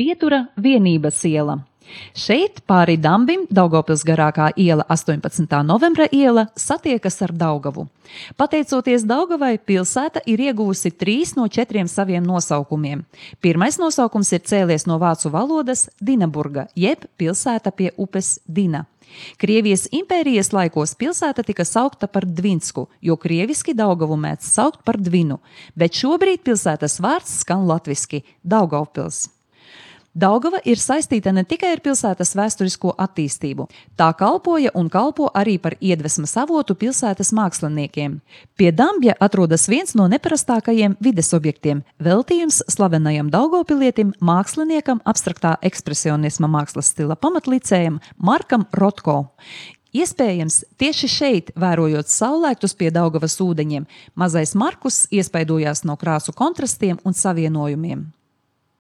Pietura Vienības iela. Šeit pāri Dambim Daugavpils garākā iela 18. novembra iela satiekas ar Daugavu. Pateicoties Daugavai, pilsēta ir ieguvusi 3 no 4 saviem nosaukumiem. Pirmais nosaukums ir cēlies no vācu valodas Dinaburga, jeb pilsēta pie upes Dina. Krievijas impērijas laikos pilsēta tika saukta par Dvinsku, jo krieviski Daugavu mēdz saukt par Dvinu, bet šobrīd pilsētas vārds skan latviski – Daugavpils. Daugava ir saistīta ne tikai ar pilsētas vēsturisko attīstību. Tā kalpoja un kalpo arī par iedvesmas avotu pilsētas māksliniekiem. Pie Dambja atrodas viens no neparastākajiem vides objektiem – veltījums slavenajam daugavpilietim, māksliniekam, abstraktā ekspresionisma mākslas stila pamatlicējam Markam Rotko. Iespējams, tieši šeit, vērojot saulēktus pie Daugavas ūdeņiem, mazais Markus iespaidojās no krāsu kontrastiem un savienojumiem.